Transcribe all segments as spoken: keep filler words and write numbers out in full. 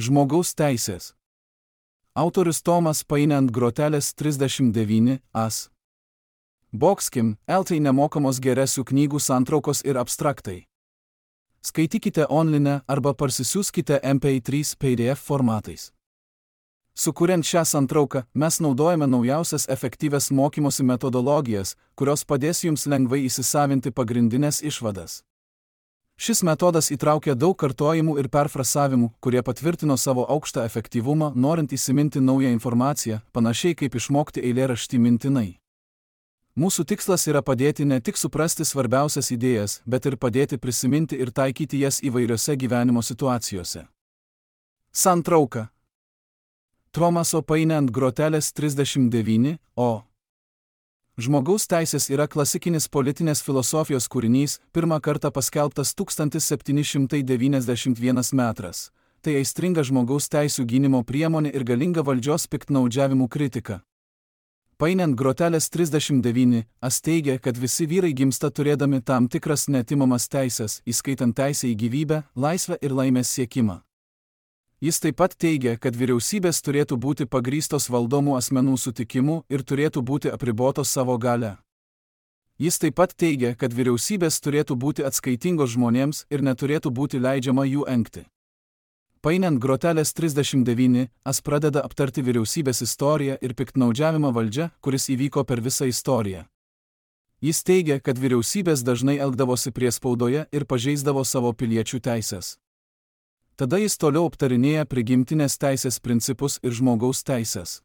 Žmogaus teisės. Autorius Tomas Paine ant grotelės trisdešimt devyni as. Boxkim, eltai nemokamos geresių knygų santraukos ir abstraktai. Skaitykite online arba parsisiųskite em pe trys pe de ef formatais. Sukuriant šią santrauką, mes naudojame naujausias efektyvias mokymosi metodologijas, kurios padės jums lengvai įsisavinti pagrindinės išvadas. Šis metodas įtraukia daug kartojimų ir perfrasavimų, kurie patvirtino savo aukštą efektyvumą, norint įsiminti naują informaciją, panašiai kaip išmokti eilėraštį mintinai. Mūsų tikslas yra padėti ne tik suprasti svarbiausias idėjas, bet ir padėti prisiminti ir taikyti jas įvairiose gyvenimo situacijose. Santrauka. Tomaso Paine ant grotelės trisdešimt devyni o. Žmogaus teisės yra klasikinis politinės filosofijos kūrinys, pirmą kartą paskelbtas tūkstantis septyni šimtai devyniasdešimt vienas metras. Tai aistringa žmogaus teisių gynimo priemonė ir galinga valdžios piktnaudžiavimų kritika. Paine ant grotelės trisdešimt devyni as teigia, kad visi vyrai gimsta turėdami tam tikras neatimamas teisės, įskaitant teisę į gyvybę, laisvę ir laimės siekimą. Jis taip pat teigia, kad vyriausybės turėtų būti pagrįstos valdomų asmenų sutikimu ir turėtų būti apribotos savo gale. Jis taip pat teigia, kad vyriausybės turėtų būti atskaitingos žmonėms ir neturėtų būti leidžiama jų engti. Paine ant grotelės trisdešimt devyni as pradeda aptarti vyriausybės istoriją ir piktnaudžiavimą valdžia, kuris įvyko per visą istoriją. Jis teigia, kad vyriausybės dažnai elgdavosi priespaudoje ir pažeisdavo savo piliečių teisės. Tada jis toliau aptarinėja prigimtinės teisės principus ir žmogaus teisės.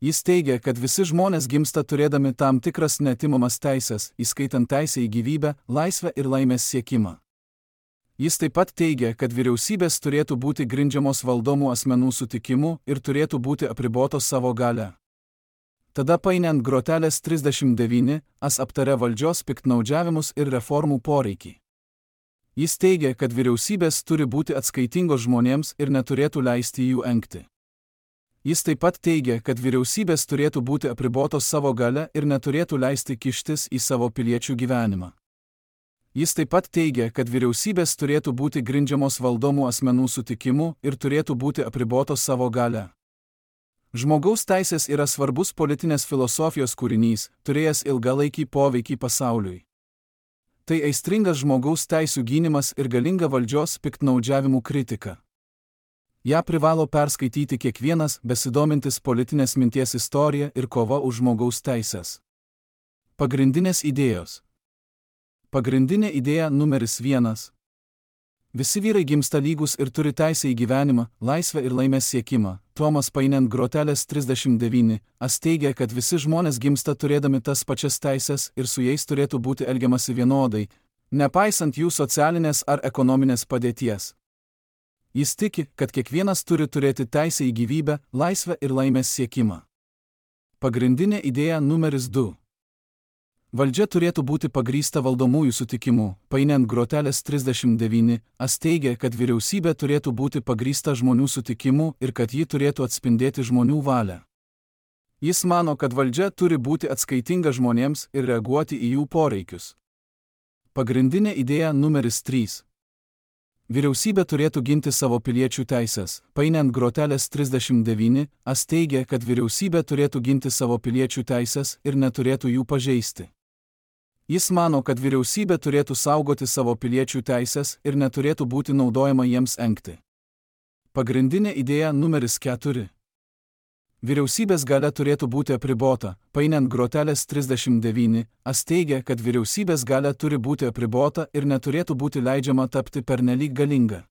Jis teigia, kad visi žmonės gimsta turėdami tam tikras neatimamas teisės, įskaitant teisę į gyvybę, laisvę ir laimės siekimą. Jis taip pat teigia, kad vyriausybės turėtų būti grindžiamos valdomų asmenų sutikimu ir turėtų būti apribotos savo gale. Tada Paine ant grotelės trisdešimt devyni as aptaria valdžios piktnaudžiavimus ir reformų poreikį. Jis teigia, kad vyriausybės turi būti atskaitingos žmonėms ir neturėtų leisti jų engti. Jis taip pat teigia, kad vyriausybės turėtų būti apribotos savo gale ir neturėtų leisti kištis į savo piliečių gyvenimą. Jis taip pat teigia, kad vyriausybės turėtų būti grindžiamos valdomų asmenų sutikimu ir turėtų būti apribotos savo gale. Žmogaus teisės yra svarbus politinės filosofijos kūrinys, turėjęs ilgalaikį poveikį pasauliui. Tai aistringas žmogaus teisių gynimas ir galinga valdžios piktnaudžiavimų kritika. Ja privalo perskaityti kiekvienas besidomintis politinės minties istorija ir kova už žmogaus teisės. Pagrindinės idėjos. Pagrindinė idėja numeris vienas. Visi vyrai gimsta lygus ir turi teisę į gyvenimą, laisvę ir laimės siekimą. Tomas Paine ant grotelės trisdešimt devyni as teigia, kad visi žmonės gimsta turėdami tas pačias teisės ir su jais turėtų būti elgiamasi vienodai, nepaisant jų socialinės ar ekonominės padėties. Jis tiki, kad kiekvienas turi turėti teisę į gyvybę, laisvę ir laimės siekimą. Pagrindinė idėja numeris du. Valdžia turėtų būti pagrįsta valdomųjų sutikimu. Paine ant grotelės trisdešimt devyni as teigia, kad vyriausybė turėtų būti pagrįsta žmonių sutikimu ir kad ji turėtų atspindėti žmonių valią. Jis mano, kad valdžia turi būti atskaitinga žmonėms ir reaguoti į jų poreikius. Pagrindinė idėja numeris trys. Vyriausybė turėtų ginti savo piliečių teisės. Paine ant grotelės trisdešimt devyni as teigia, kad vyriausybė turėtų ginti savo piliečių teisės ir neturėtų jų pažeisti. Jis mano, kad vyriausybė turėtų saugoti savo piliečių teisės ir neturėtų būti naudojama jiems engti. Pagrindinė idėja numeris keturi. Vyriausybės galia turėtų būti apribota. Paine ant grotelės trisdešimt devyni as teigia, kad vyriausybės galia turi būti apribota ir neturėtų būti leidžiama tapti pernelyg galinga.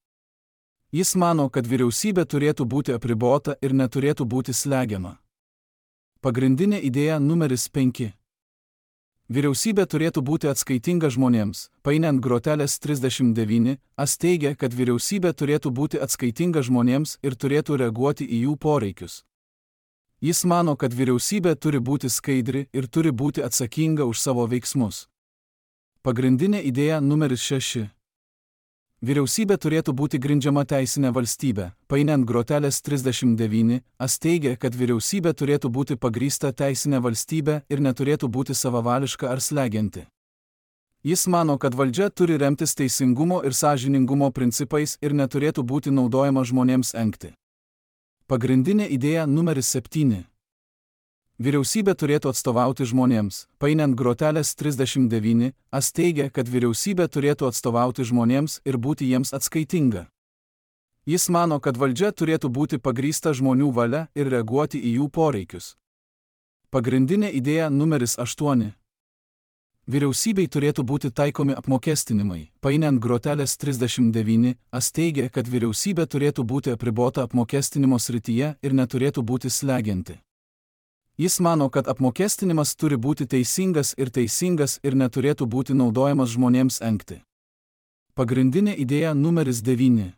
Jis mano, kad vyriausybė turėtų būti apribota ir neturėtų būti slegiama. Pagrindinė idėja numeris penki. Vyriausybė turėtų būti atskaitinga žmonėms. Paine ant grotelės trisdešimt devyni as teigia, kad vyriausybė turėtų būti atskaitinga žmonėms ir turėtų reaguoti į jų poreikius. Jis mano, kad vyriausybė turi būti skaidri ir turi būti atsakinga už savo veiksmus. Pagrindinė idėja numeris šeši. Vyriausybė turėtų būti grindžiama teisinė valstybė. Paine ant grotelės trisdešimt devyni as teigia, kad vyriausybė turėtų būti pagrįsta teisinė valstybė ir neturėtų būti savavališka ar slegianti. Jis mano, kad valdžia turi remtis teisingumo ir sąžiningumo principais ir neturėtų būti naudojama žmonėms engti. Pagrindinė idėja numeris septyni. Vyriausybė turėtų atstovauti žmonėms. Painiant grotelės trisdešimt devyni, as teigia, kad vyriausybė turėtų atstovauti žmonėms ir būti jiems atskaitinga. Jis mano, kad valdžia turėtų būti pagrįsta žmonių valia ir reaguoti į jų poreikius. Pagrindinė idėja numeris aštuoni. Vyriausybei turėtų būti taikomi apmokestinimai. Painiant grotelės trisdešimt devyni, as teigia, kad vyriausybė turėtų būti apribota apmokestinimo srityje ir neturėtų būti slegianti. Jis mano, kad apmokestinimas turi būti teisingas ir teisingas ir neturėtų būti naudojamas žmonėms engti. Pagrindinė idėja numeris devyni.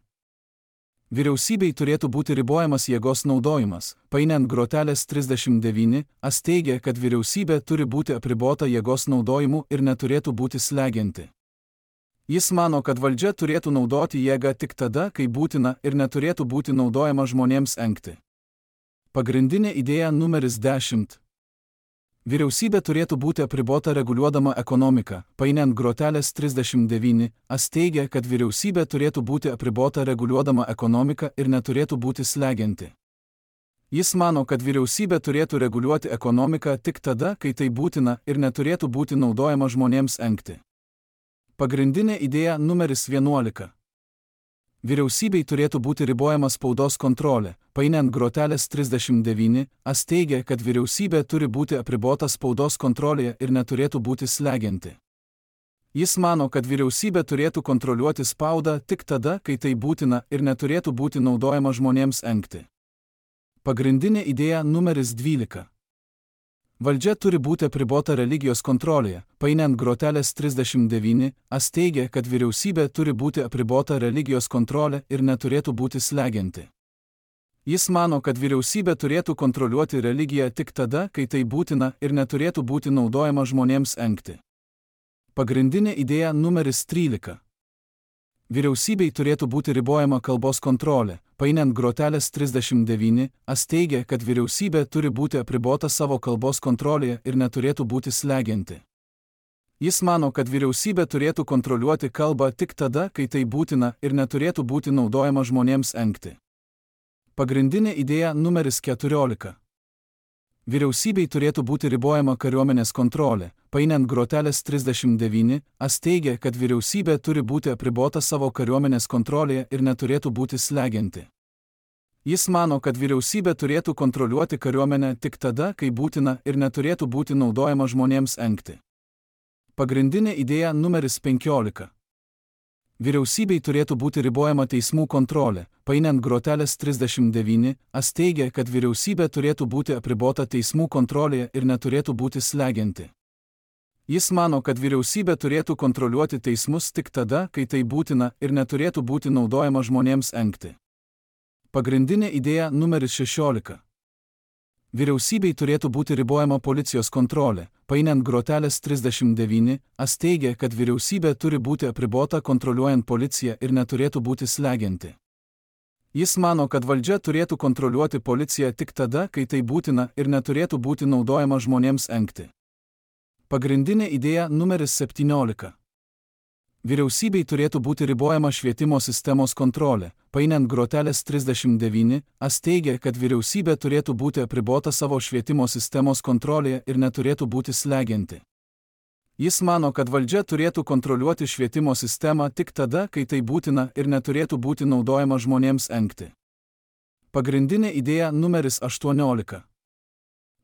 Vyriausybei turėtų būti ribojamas jėgos naudojimas. Painiant grotelės trisdešimt devyni, as teigia, kad vyriausybė turi būti apribota jėgos naudojimu ir neturėtų būti slegianti. Jis mano, kad valdžia turėtų naudoti jėgą tik tada, kai būtina ir neturėtų būti naudojama žmonėms engti. Pagrindinė idėja numeris dešimt. Vyriausybė turėtų būti apribota reguliuodama ekonomiką. Painiant grotelės trisdešimt devyni, as teigia, kad vyriausybė turėtų būti apribota reguliuodama ekonomiką ir neturėtų būti slegianti. Jis mano, kad vyriausybė turėtų reguliuoti ekonomiką tik tada, kai tai būtina ir neturėtų būti naudojama žmonėms engti. Pagrindinė idėja numeris vienuolika. Vyriausybei turėtų būti ribojama spaudos kontrolė. Painiant grotelės trisdešimt devyni, as teigia, kad vyriausybė turi būti apribota spaudos kontrolėje ir neturėtų būti slegianti. Jis mano, kad vyriausybė turėtų kontroliuoti spaudą tik tada, kai tai būtina ir neturėtų būti naudojama žmonėms engti. Pagrindinė idėja numeris dvylika. Valdžia turi būti apribota religijos kontrolėje. Painiant grotelės trisdešimt devyni, as teigia, kad vyriausybė turi būti apribota religijos kontrolė ir neturėtų būti slegianti. Jis mano, kad vyriausybė turėtų kontroliuoti religiją tik tada, kai tai būtina ir neturėtų būti naudojama žmonėms engti. Pagrindinė idėja numeris trylika. Vyriausybei turėtų būti ribojama kalbos kontrolė. Painiant grotelės trisdešimt devyni, as teigia, kad vyriausybė turi būti apribota savo kalbos kontrolėje ir neturėtų būti slegianti. Jis mano, kad vyriausybė turėtų kontroliuoti kalbą tik tada, kai tai būtina ir neturėtų būti naudojama žmonėms engti. Pagrindinė idėja numeris keturiolika. Vyriausybei turėtų būti ribojama kariuomenės kontrolė. Painiant grotelės trisdešimt devyni, as teigia, kad vyriausybė turi būti apribota savo kariuomenės kontrolėje ir neturėtų būti slegianti. Jis mano, kad vyriausybė turėtų kontroliuoti kariuomenę tik tada, kai būtina ir neturėtų būti naudojama žmonėms engti. Pagrindinė idėja numeris penkiolika. Vyriausybei turėtų būti ribojama teismų kontrolė. Painiant grotelės trisdešimt devyni, as teigia, kad vyriausybė turėtų būti apribota teismų kontrolėje ir neturėtų būti slegianti. Jis mano, kad vyriausybė turėtų kontroliuoti teismus tik tada, kai tai būtina ir neturėtų būti naudojama žmonėms engti. Pagrindinė idėja numeris šešiolika. Vyriausybei turėtų būti ribojama policijos kontrolė. Painiant grotelės trisdešimt devyni, as teigia, kad vyriausybė turi būti apribota kontroliuojant policiją ir neturėtų būti slegianti. Jis mano, kad valdžia turėtų kontroliuoti policiją tik tada, kai tai būtina ir neturėtų būti naudojama žmonėms engti. Pagrindinė idėja numeris septyniolika. Vyriausybei turėtų būti ribojama švietimo sistemos kontrolė. Painiant grotelės trisdešimt devyni, as teigia, kad vyriausybė turėtų būti apribota savo švietimo sistemos kontrolėje ir neturėtų būti slegianti. Jis mano, kad valdžia turėtų kontroliuoti švietimo sistemą tik tada, kai tai būtina ir neturėtų būti naudojama žmonėms engti. Pagrindinė idėja numeris aštuoniolika.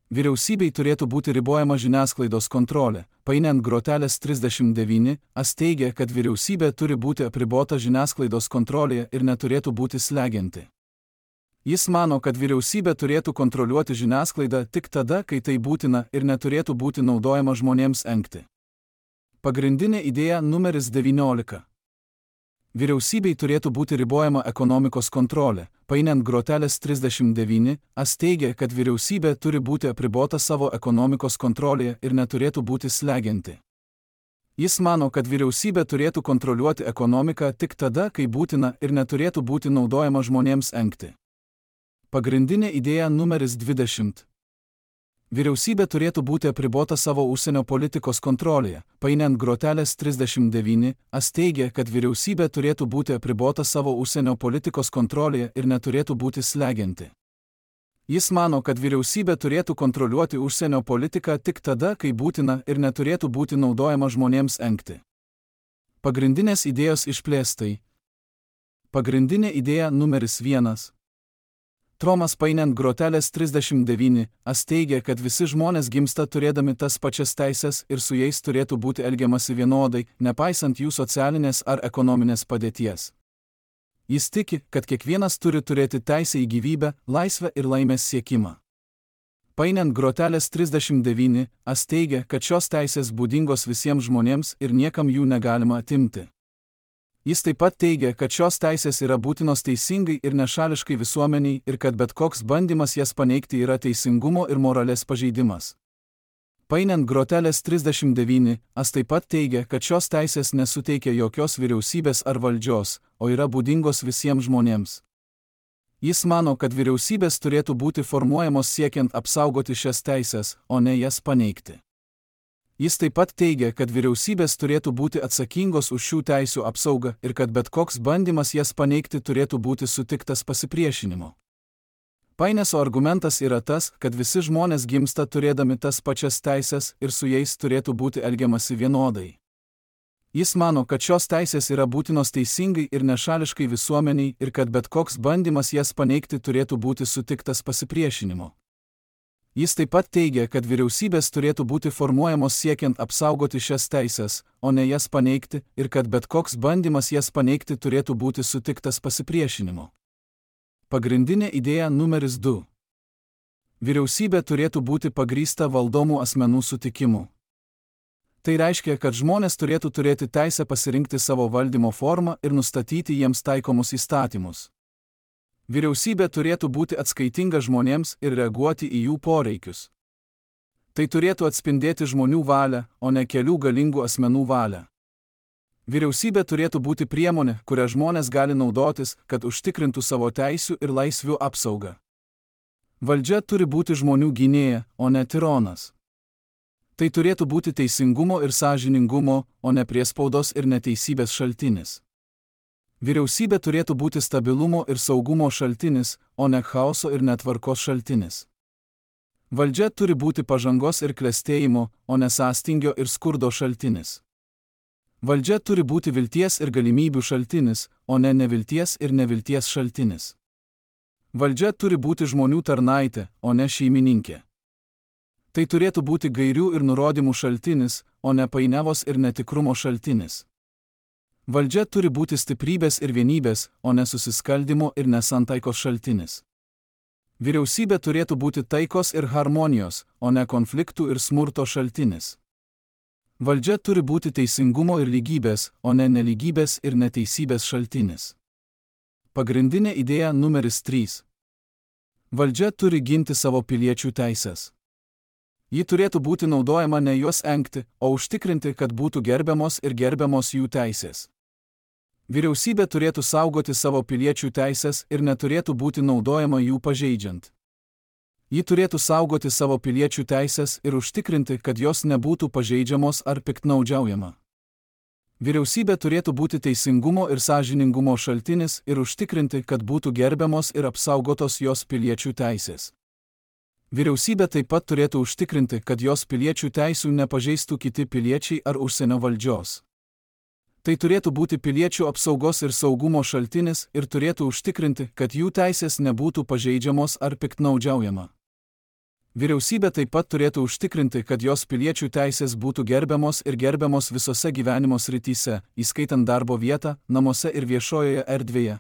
Vyriausybei turėtų būti ribojama žiniasklaidos kontrolė. Painiant grotelės trisdešimt devyni, as teigia, kad vyriausybė turi būti apribota žiniasklaidos kontrolėje ir neturėtų būti slegianti. Jis mano, kad vyriausybė turėtų kontroliuoti žiniasklaidą tik tada, kai tai būtina ir neturėtų būti naudojama žmonėms engti. Pagrindinė idėja numeris devyniolika. Vyriausybei turėtų būti ribojama ekonomikos kontrolė. Painiant grotelės trisdešimt devyni, as teigia, kad vyriausybė turi būti apribota savo ekonomikos kontrolėje ir neturėtų būti slegianti. Jis mano, kad vyriausybė turėtų kontroliuoti ekonomiką tik tada, kai būtina ir neturėtų būti naudojama žmonėms engti. Pagrindinė idėja numeris dvidešimt. Vyriausybė turėtų būti apribota savo užsienio politikos kontrolėje. Painiant grotelės trisdešimt devyni, as teigia, kad vyriausybė turėtų būti apribota savo užsienio politikos kontrolėje ir neturėtų būti slegianti. Jis mano, kad vyriausybė turėtų kontroliuoti užsienio politiką tik tada, kai būtina ir neturėtų būti naudojama žmonėms engti. Pagrindinės idėjos išplėstai. Pagrindinė idėja numeris vienas. Tromas painiant grotelės trisdešimt devyni, as teigia, kad visi žmonės gimsta turėdami tas pačias teises ir su jais turėtų būti elgiamasi vienodai, nepaisant jų socialinės ar ekonominės padėties. Jis tiki, kad kiekvienas turi turėti teisę į gyvybę, laisvę ir laimės siekimą. Painiant grotelės trisdešimt devyni, as teigia, kad šios teisės būdingos visiems žmonėms ir niekam jų negalima atimti. Jis taip pat teigia, kad šios teisės yra būtinos teisingai ir nešališkai visuomeniai ir kad bet koks bandymas jas paneigti yra teisingumo ir moralės pažeidimas. Painiant grotelės trisdešimt devyni, as taip pat teigia, kad šios teisės nesuteikia jokios vyriausybės ar valdžios, o yra būdingos visiems žmonėms. Jis mano, kad vyriausybės turėtų būti formuojamos siekiant apsaugoti šias teisės, o ne jas paneigti. Jis taip pat teigia, kad vyriausybės turėtų būti atsakingos už šių teisių apsaugą ir kad bet koks bandymas jas paneigti turėtų būti sutiktas pasipriešinimu. Paineso argumentas yra tas, kad visi žmonės gimsta turėdami tas pačias teisės ir su jais turėtų būti elgiamasi vienodai. Jis mano, kad šios teisės yra būtinos teisingai ir nešališkai visuomeniai ir kad bet koks bandymas jas paneigti turėtų būti sutiktas pasipriešinimu. Jis taip pat teigia, kad vyriausybės turėtų būti formuojamos siekiant apsaugoti šias teisės, o ne jas paneigti, ir kad bet koks bandymas jas paneigti turėtų būti sutiktas pasipriešinimu. Pagrindinė idėja numeris du. Vyriausybė turėtų būti pagrįsta valdomų asmenų sutikimu. Tai reiškia, kad žmonės turėtų turėti teisę pasirinkti savo valdymo formą ir nustatyti jiems taikomus įstatymus. Vyriausybė turėtų būti atskaitinga žmonėms ir reaguoti į jų poreikius. Tai turėtų atspindėti žmonių valią, o ne kelių galingų asmenų valią. Vyriausybė turėtų būti priemonė, kurią žmonės gali naudotis, kad užtikrintų savo teisių ir laisvių apsaugą. Valdžia turi būti žmonių gynėja, o ne tironas. Tai turėtų būti teisingumo ir sąžiningumo, o ne priespaudos ir neteisybės šaltinis. Vyriausybė turėtų būti stabilumo ir saugumo šaltinis, o ne chaoso ir netvarkos šaltinis. Valdžia turi būti pažangos ir klestėjimo, o ne sąstingio ir skurdo šaltinis. Valdžia turi būti vilties ir galimybių šaltinis, o ne nevilties ir nevilties šaltinis. Valdžia turi būti žmonių tarnaitė, o ne šeimininkė. Tai turėtų būti gairių ir nurodymų šaltinis, o ne painiavos ir netikrumo šaltinis. Valdžia turi būti stiprybės ir vienybės, o ne susiskaldimo ir nesantaikos šaltinis. Vyriausybė turėtų būti taikos ir harmonijos, o ne konfliktų ir smurto šaltinis. Valdžia turi būti teisingumo ir lygybės, o ne nelygybės ir neteisybės šaltinis. Pagrindinė idėja numeris trys. Valdžia turi ginti savo piliečių teises. Ji turėtų būti naudojama ne juos engti, o užtikrinti, kad būtų gerbiamos ir gerbiamos jų teisės. Vyriausybė turėtų saugoti savo piliečių teisės ir neturėtų būti naudojama jų pažeidžiant. Ji turėtų saugoti savo piliečių teisės ir užtikrinti, kad jos nebūtų pažeidžiamos ar piktnaudžiaujama. Vyriausybė turėtų būti teisingumo ir sąžiningumo šaltinis ir užtikrinti, kad būtų gerbiamos ir apsaugotos jos piliečių teisės. Vyriausybė taip pat turėtų užtikrinti, kad jos piliečių teisių nepažeistų kiti piliečiai ar užsienio valdžios. Tai turėtų būti piliečių apsaugos ir saugumo šaltinis ir turėtų užtikrinti, kad jų teisės nebūtų pažeidžiamos ar piktnaudžiaujama. Vyriausybė taip pat turėtų užtikrinti, kad jos piliečių teisės būtų gerbiamos ir gerbiamos visose gyvenimo srityse, įskaitant darbo vietą, namuose ir viešojoje erdvėje.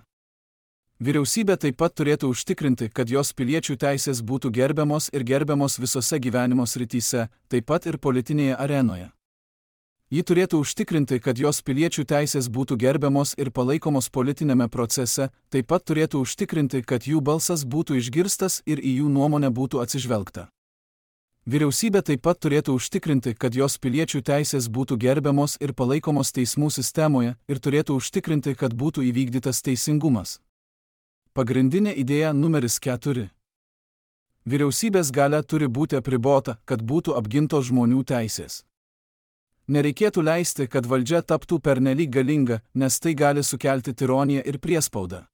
Vyriausybė taip pat turėtų užtikrinti, kad jos piliečių teisės būtų gerbiamos ir gerbiamos visose gyvenimo srityse, taip pat ir politinėje arenoje. Ji turėtų užtikrinti, kad jos piliečių teisės būtų gerbiamos ir palaikomos politinėme procese, taip pat turėtų užtikrinti, kad jų balsas būtų išgirstas ir į jų nuomonę būtų atsižvelgta. Vyriausybė taip pat turėtų užtikrinti, kad jos piliečių teisės būtų gerbiamos ir palaikomos teismų sistemoje ir turėtų užtikrinti, kad būtų įvykdytas teisingumas. Pagrindinė idėja numeris keturi. Vyriausybės galia turi būti apribota, kad būtų apgintos žmonių teisės. Nereikėtų leisti, kad valdžia taptų pernelyg galinga, nes tai gali sukelti tironiją ir priespaudą.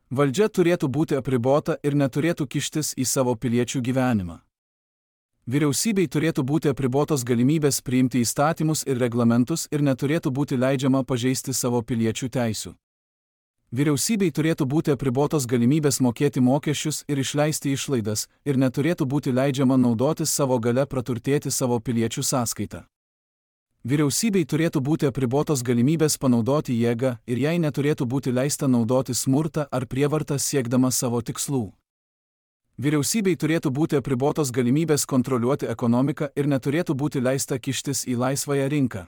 Valdžia turėtų būti apribota ir neturėtų kištis į savo piliečių gyvenimą. Vyriausybei turėtų būti apribotos galimybės priimti įstatymus ir reglamentus ir neturėtų būti leidžiama pažeisti savo piliečių teisių. Vyriausybei turėtų būti apribotos galimybės mokėti mokesčius ir išleisti išlaidas ir neturėtų būti leidžiama naudotis savo galia praturtėti savo piliečių sąskaitą. Vyriausybei turėtų būti apribotos galimybės panaudoti jėgą ir jai neturėtų būti leista naudoti smurtą ar prievartą siekdama savo tikslų. Vyriausybei turėtų būti apribotos galimybės kontroliuoti ekonomiką ir neturėtų būti leista kištis į laisvąją rinką.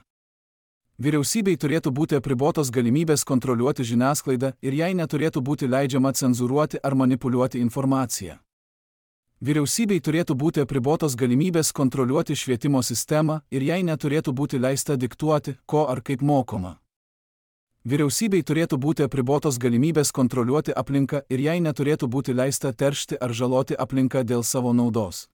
Vyriausybei turėtų būti apribotos galimybės kontroliuoti žiniasklaidą ir jai neturėtų būti leidžiama cenzūruoti ar manipuliuoti informaciją. Vyriausybei turėtų būti apribotos galimybės kontroliuoti švietimo sistemą ir jai neturėtų būti leista diktuoti, ko ar kaip mokoma. Vyriausybei turėtų būti apribotos galimybės kontroliuoti aplinką ir jai neturėtų būti leista teršti ar žaloti aplinką dėl savo naudos.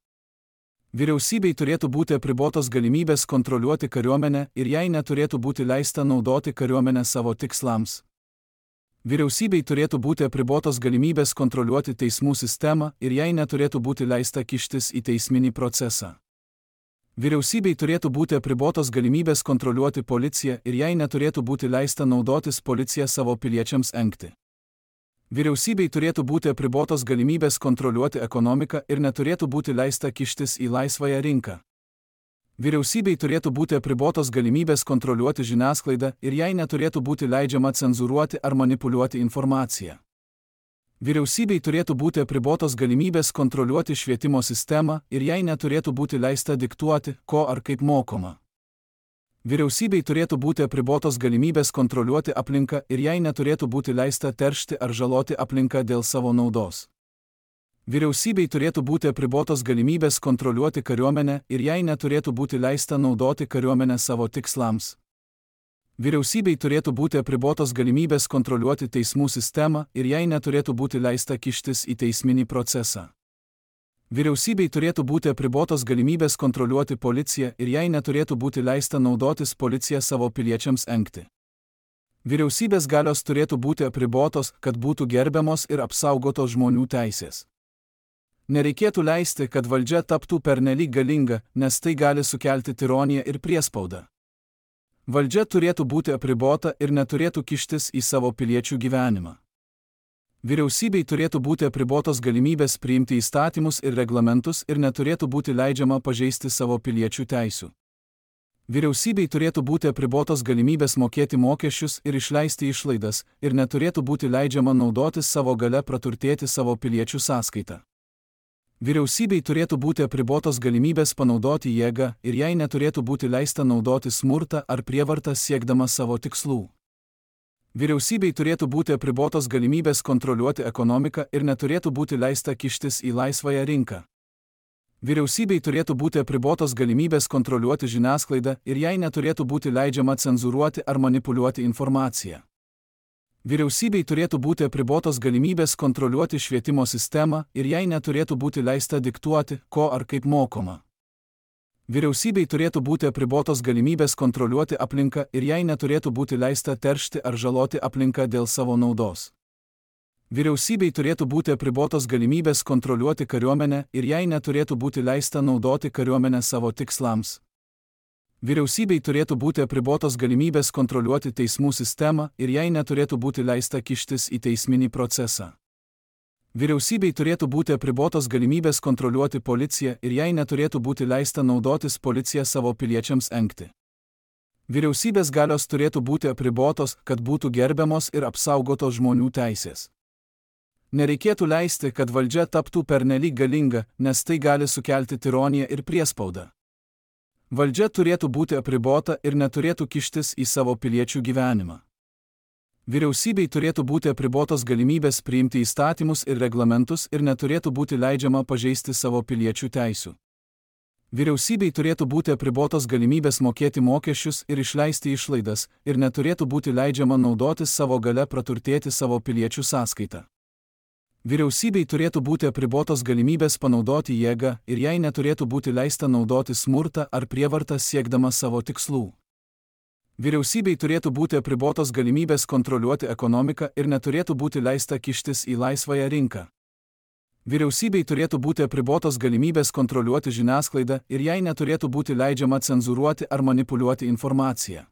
Vyriausybei turėtų būti apribotos galimybės kontroliuoti kariuomenę ir jai neturėtų būti leista naudoti kariuomenę savo tikslams. Vyriausybei turėtų būti apribotos galimybės kontroliuoti teismų sistemą ir jai neturėtų būti leista kištis į teisminį procesą. Vyriausybei turėtų būti apribotos galimybės kontroliuoti policiją ir jai neturėtų būti leista naudotis policiją savo piliečiams engti. Vyriausybei turėtų būti apribotos galimybės kontroliuoti ekonomiką ir neturėtų būti leista kištis į laisvąją rinką. Vyriausybei turėtų būti apribotos galimybės kontroliuoti žiniasklaidą ir jai neturėtų būti leidžiama cenzūruoti ar manipuliuoti informaciją. Vyriausybei turėtų būti apribotos galimybės kontroliuoti švietimo sistemą ir jai neturėtų būti leista diktuoti, ko ar kaip mokoma. Vyriausybei turėtų būti apribotos galimybės kontroliuoti aplinką ir jai neturėtų būti leista teršti ar žaloti aplinką dėl savo naudos. Vyriausybei turėtų būti apribotos galimybės kontroliuoti kariuomenę ir jai neturėtų būti leista naudoti kariuomenę savo tikslams. Vyriausybei turėtų būti apribotos galimybės kontroliuoti teismų sistemą ir jai neturėtų būti leista kištis į teisminį procesą. Vyriausybei turėtų būti apribotos galimybės kontroliuoti policiją ir jai neturėtų būti leista naudotis policiją savo piliečiams engti. Vyriausybės galios turėtų būti apribotos, kad būtų gerbiamos ir apsaugotos žmonių teisės. Nereikėtų leisti, kad valdžia taptų pernelyg galinga, nes tai gali sukelti tironiją ir priespaudą. Valdžia turėtų būti apribota ir neturėtų kištis į savo piliečių gyvenimą. Vyriausybei turėtų būti apribotos galimybės priimti įstatymus ir reglamentus ir neturėtų būti leidžiama pažeisti savo piliečių teisių. Vyriausybei turėtų būti apribotos galimybės mokėti mokesčius ir išleisti išlaidas ir neturėtų būti leidžiama naudotis savo galia praturtėti savo piliečių sąskaitą. Vyriausybei turėtų būti apribotos galimybės panaudoti jėgą ir jai neturėtų būti leista naudoti smurtą ar prievartą siekdama savo tikslų. Vyriausybei turėtų būti apribotos galimybės kontroliuoti ekonomiką ir neturėtų būti leista kištis į laisvąją rinką. Vyriausybei turėtų būti apribotos galimybės kontroliuoti žiniasklaidą ir jai neturėtų būti leidžiama cenzūruoti ar manipuliuoti informaciją. Vyriausybei turėtų būti apribotos galimybės kontroliuoti švietimo sistemą ir jai neturėtų būti leista diktuoti, ko ar kaip mokoma. Vyriausybei turėtų būti apribotos galimybės kontroliuoti aplinką ir jai neturėtų būti leista teršti ar žaloti aplinką dėl savo naudos. Vyriausybei turėtų būti apribotos galimybės kontroliuoti kariuomenę ir jai neturėtų būti leista naudoti kariuomenę savo tikslams. Vyriausybei turėtų būti apribotos galimybės kontroliuoti teismų sistemą ir jai neturėtų būti leista kištis į teisminį procesą. Vyriausybei turėtų būti apribotos galimybės kontroliuoti policiją ir jai neturėtų būti leista naudotis policiją savo piliečiams engti. Vyriausybės galios turėtų būti apribotos, kad būtų gerbiamos ir apsaugotos žmonių teisės. Nereikėtų leisti, kad valdžia taptų pernelyg galinga, nes tai gali sukelti tironiją ir priespaudą. Valdžia turėtų būti apribota ir neturėtų kištis į savo piliečių gyvenimą. Vyriausybei turėtų būti apribotos galimybės priimti įstatymus ir reglamentus ir neturėtų būti leidžiama pažeisti savo piliečių teisių. Vyriausybei turėtų būti apribotos galimybės mokėti mokesčius ir išleisti išlaidas ir neturėtų būti leidžiama naudotis savo galia praturtėti savo piliečių sąskaitą. Vyriausybei turėtų būti apribotos galimybės panaudoti jėgą ir jai neturėtų būti leista naudoti smurtą ar prievartą siekdama savo tikslų. Vyriausybei turėtų būti apribotos galimybės kontroliuoti ekonomiką ir neturėtų būti leista kištis į laisvąją rinką. Vyriausybei turėtų būti apribotos galimybės kontroliuoti žiniasklaidą ir jai neturėtų būti leidžiama cenzūruoti ar manipuliuoti informaciją.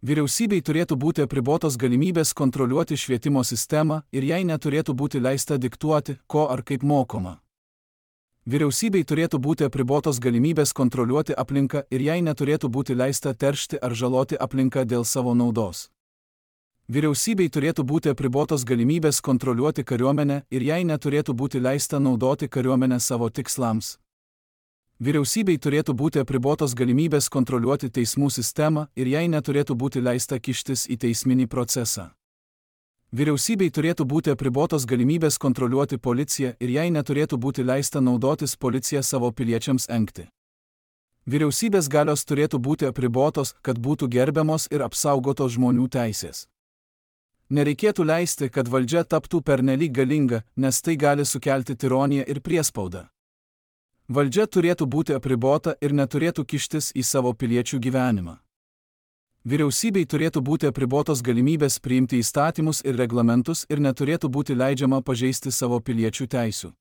Vyriausybei turėtų būti apribotos galimybės kontroliuoti švietimo sistemą ir jai neturėtų būti leista diktuoti, ko ar kaip mokoma. Vyriausybei turėtų būti apribotos galimybės kontroliuoti aplinką ir jai neturėtų būti leista teršti ar žaloti aplinką dėl savo naudos. Vyriausybei turėtų būti apribotos galimybės kontroliuoti kariuomenę ir jai neturėtų būti leista naudoti kariuomenę savo tikslams. Vyriausybei turėtų būti apribotos galimybės kontroliuoti teismų sistemą ir jai neturėtų būti leista kištis į teisminį procesą. Vyriausybei turėtų būti apribotos galimybės kontroliuoti policiją ir jai neturėtų būti leista naudotis policiją savo piliečiams engti. Vyriausybės galios turėtų būti apribotos, kad būtų gerbiamos ir apsaugotos žmonių teisės. Nereikėtų leisti, kad valdžia taptų pernelyg galinga, nes tai gali sukelti tironiją ir priespaudą. Valdžia turėtų būti apribota ir neturėtų kištis į savo piliečių gyvenimą. Vyriausybei turėtų būti apribotos galimybės priimti įstatymus ir reglamentus ir neturėtų būti leidžiama pažeisti savo piliečių teisių.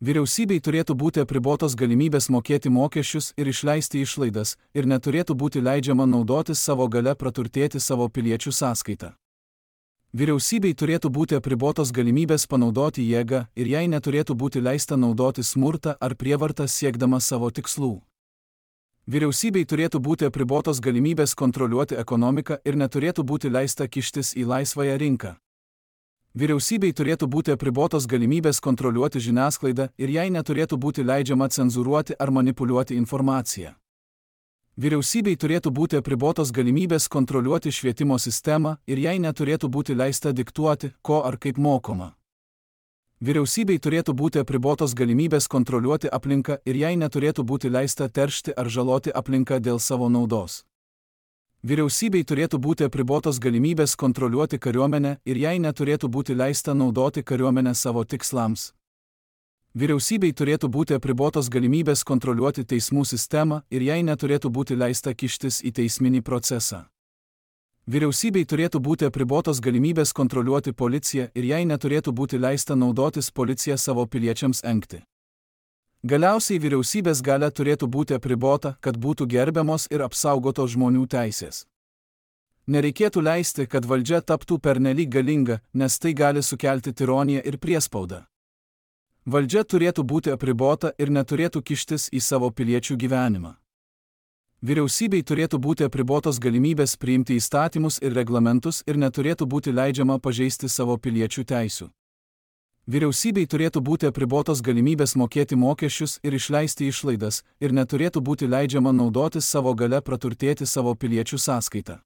Vyriausybei turėtų būti apribotos galimybės mokėti mokesčius ir išleisti išlaidas ir neturėtų būti leidžiama naudotis savo galia praturtėti savo piliečių sąskaitą. Vyriausybei turėtų būti apribotos galimybės panaudoti jėgą ir jai neturėtų būti leista naudoti smurtą ar prievartą siekdama savo tikslų. Vyriausybei turėtų būti apribotos galimybės kontroliuoti ekonomiką ir neturėtų būti leista kištis į laisvąją rinką. Vyriausybei turėtų būti apribotos galimybės kontroliuoti žiniasklaidą ir jai neturėtų būti leidžiama cenzūruoti ar manipuliuoti informaciją. Vyriausybei turėtų būti apribotos galimybės kontroliuoti švietimo sistemą ir jai neturėtų būti leista diktuoti, ko ar kaip mokoma. Vyriausybei turėtų būti apribotos galimybės kontroliuoti aplinką ir jai neturėtų būti leista teršti ar žaloti aplinką dėl savo naudos. Vyriausybei turėtų būti apribotos galimybės kontroliuoti kariuomenę ir jai neturėtų būti leista naudoti kariuomenę savo tikslams. Vyriausybei turėtų būti apribotos galimybės kontroliuoti teismų sistemą ir jai neturėtų būti leista kištis į teisminį procesą. Vyriausybei turėtų būti apribotos galimybės kontroliuoti policiją ir jai neturėtų būti leista naudotis policiją savo piliečiams engti. Galiausiai vyriausybės galia turėtų būti apribota, kad būtų gerbiamos ir apsaugotos žmonių teisės. Nereikėtų leisti, kad valdžia taptų pernelyg galinga, nes tai gali sukelti tironiją ir priespaudą. Valdžia turėtų būti apribota ir neturėtų kištis į savo piliečių gyvenimą. Vyriausybei turėtų būti apribotos galimybės priimti įstatymus ir reglamentus ir neturėtų būti leidžiama pažeisti savo piliečių teisių. Vyriausybei turėtų būti apribotos galimybės mokėti mokesčius ir išleisti išlaidas ir neturėtų būti leidžiama naudotis savo galia praturtėti savo piliečių sąskaitą.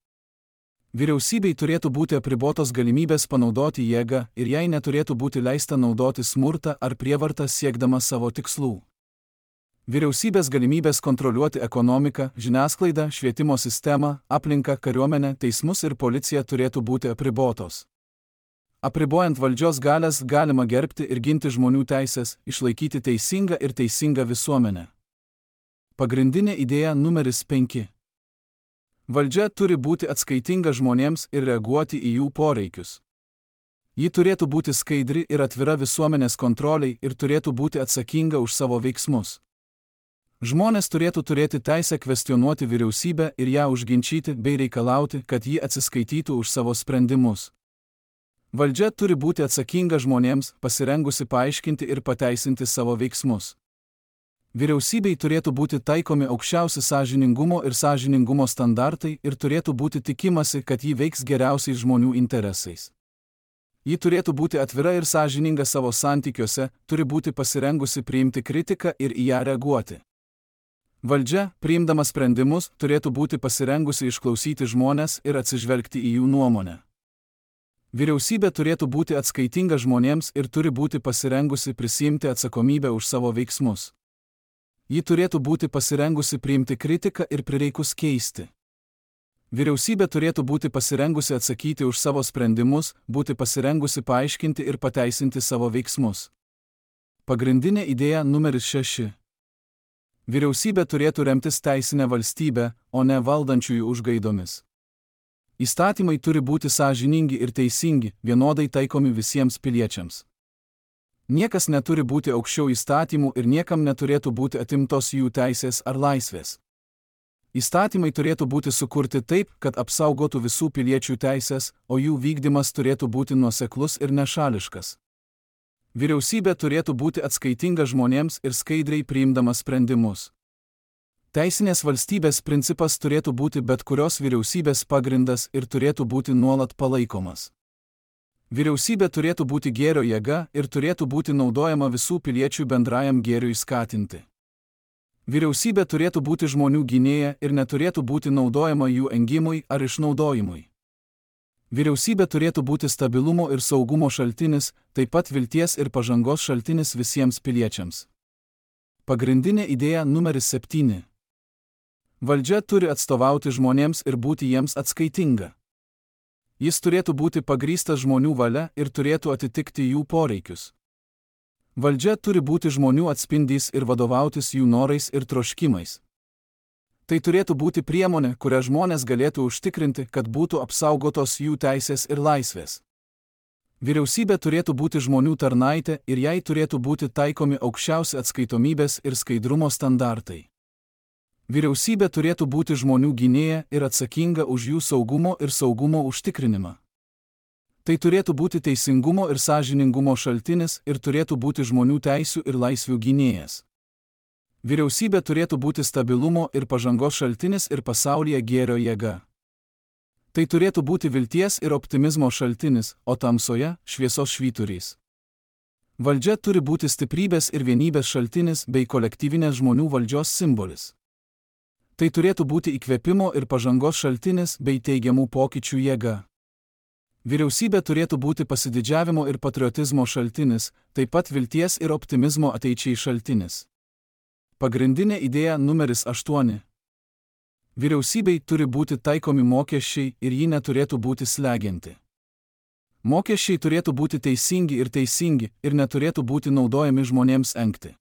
Vyriausybei turėtų būti apribotos galimybės panaudoti jėgą ir jai neturėtų būti leista naudoti smurtą ar prievartą siekdama savo tikslų. Vyriausybės galimybės kontroliuoti ekonomiką, žiniasklaidą, švietimo sistemą, aplinką, kariuomenę, teismus ir policiją turėtų būti apribotos. Apribojant valdžios galias galima gerbti ir ginti žmonių teisės, išlaikyti teisingą ir teisingą visuomenę. Pagrindinė idėja numeris penki. Valdžia turi būti atskaitinga žmonėms ir reaguoti į jų poreikius. Ji turėtų būti skaidri ir atvira visuomenės kontroliai ir turėtų būti atsakinga už savo veiksmus. Žmonės turėtų turėti teisę kvestionuoti vyriausybę ir ją užginčyti bei reikalauti, kad ji atsiskaitytų už savo sprendimus. Valdžia turi būti atsakinga žmonėms, pasirengusi paaiškinti ir pateisinti savo veiksmus. Vyriausybei turėtų būti taikomi aukščiausi sąžiningumo ir sąžiningumo standartai ir turėtų būti tikimasi, kad ji veiks geriausiai žmonių interesais. Ji turėtų būti atvira ir sąžininga savo santykiuose, turi būti pasirengusi priimti kritiką ir į ją reaguoti. Valdžia, priimdama sprendimus, turėtų būti pasirengusi išklausyti žmones ir atsižvelgti į jų nuomonę. Vyriausybė turėtų būti atskaitinga žmonėms ir turi būti pasirengusi prisiimti atsakomybę už savo veiksmus. Ji turėtų būti pasirengusi priimti kritiką ir prireikus keisti. Vyriausybė turėtų būti pasirengusi atsakyti už savo sprendimus, būti pasirengusi paaiškinti ir pateisinti savo veiksmus. Pagrindinė idėja numeris šeši. Vyriausybė turėtų remtis teisinę valstybę, o ne valdančiųjų užgaidomis. Įstatymai turi būti sąžiningi ir teisingi, vienodai taikomi visiems piliečiams. Niekas neturi būti aukščiau įstatymų ir niekam neturėtų būti atimtos jų teisės ar laisvės. Įstatymai turėtų būti sukurti taip, kad apsaugotų visų piliečių teisės, o jų vykdymas turėtų būti nuoseklus ir nešališkas. Vyriausybė turėtų būti atskaitinga žmonėms ir skaidriai priimdama sprendimus. Teisinės valstybės principas turėtų būti bet kurios vyriausybės pagrindas ir turėtų būti nuolat palaikomas. Vyriausybė turėtų būti gėrio jėga ir turėtų būti naudojama visų piliečių bendrajam gėriui skatinti. Vyriausybė turėtų būti žmonių gynėja ir neturėtų būti naudojama jų engimui ar išnaudojimui. Vyriausybė turėtų būti stabilumo ir saugumo šaltinis, taip pat vilties ir pažangos šaltinis visiems piliečiams. Pagrindinė idėja numeris septyni. Valdžia turi atstovauti žmonėms ir būti jiems atskaitinga. Jis turėtų būti pagrįstas žmonių valia ir turėtų atitikti jų poreikius. Valdžia turi būti žmonių atspindys ir vadovautis jų norais ir troškimais. Tai turėtų būti priemonė, kurią žmonės galėtų užtikrinti, kad būtų apsaugotos jų teisės ir laisvės. Vyriausybė turėtų būti žmonių tarnaitė ir jai turėtų būti taikomi aukščiausi atskaitomybės ir skaidrumo standartai. Vyriausybė turėtų būti žmonių gynėja ir atsakinga už jų saugumo ir saugumo užtikrinimą. Tai turėtų būti teisingumo ir sąžiningumo šaltinis ir turėtų būti žmonių teisių ir laisvių gynėjas. Vyriausybė turėtų būti stabilumo ir pažangos šaltinis ir pasaulyje gėrio jėga. Tai turėtų būti vilties ir optimizmo šaltinis, o tamsoje – šviesos švyturys. Valdžia turi būti stiprybės ir vienybės šaltinis bei kolektyvinės žmonių valdžios simbolis. Tai turėtų būti įkvėpimo ir pažangos šaltinis bei teigiamų pokyčių jėga. Vyriausybė turėtų būti pasididžiavimo ir patriotizmo šaltinis, taip pat vilties ir optimizmo ateičiai šaltinis. Pagrindinė idėja numeris aštuoni. Vyriausybei turi būti taikomi mokesčiai ir ji neturėtų būti slegianti. Mokesčiai turėtų būti teisingi ir teisingi ir neturėtų būti naudojami žmonėms engti.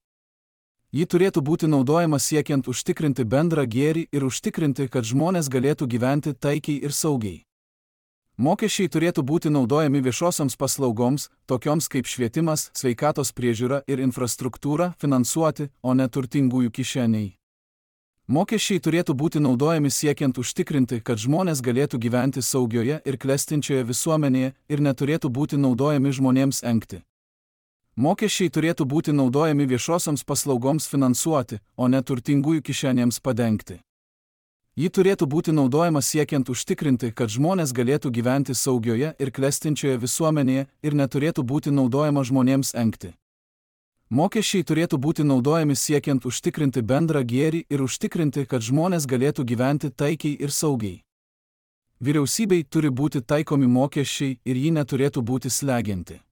Ji turėtų būti naudojama siekiant užtikrinti bendrą gėrį ir užtikrinti, kad žmonės galėtų gyventi taikiai ir saugiai. Mokesčiai turėtų būti naudojami viešosioms paslaugoms, tokioms kaip švietimas, sveikatos priežiūra ir infrastruktūra, finansuoti, o ne turtingųjų kišeniai. Mokesčiai turėtų būti naudojami siekiant užtikrinti, kad žmonės galėtų gyventi saugioje ir klestinčioje visuomenėje ir neturėtų būti naudojami žmonėms engti. Mokesčiai turėtų būti naudojami viešosioms paslaugoms finansuoti, o ne turtingųjų kišenėms padengti. Ji turėtų būti naudojama siekiant užtikrinti, kad žmonės galėtų gyventi saugioje ir klestinčioje visuomenėje ir neturėtų būti naudojama žmonėms engti. Mokesčiai turėtų būti naudojami siekiant užtikrinti bendrą gėrį ir užtikrinti, kad žmonės galėtų gyventi taikiai ir saugiai. Vyriausybei turi būti taikomi mokesčiai ir ji neturėtų būti slegianti.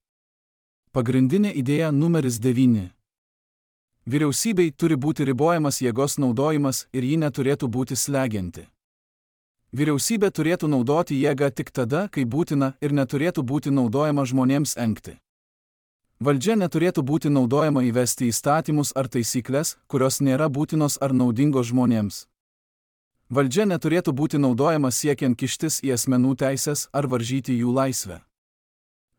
Pagrindinė idėja numeris devyni. Vyriausybei turi būti ribojamas jėgos naudojimas ir ji neturėtų būti slegianti. Vyriausybė turėtų naudoti jėgą tik tada, kai būtina ir neturėtų būti naudojama žmonėms engti. Valdžia neturėtų būti naudojama įvesti įstatymus ar taisyklės, kurios nėra būtinos ar naudingos žmonėms. Valdžia neturėtų būti naudojama siekiant kištis į asmenų teisės ar varžyti jų laisvę.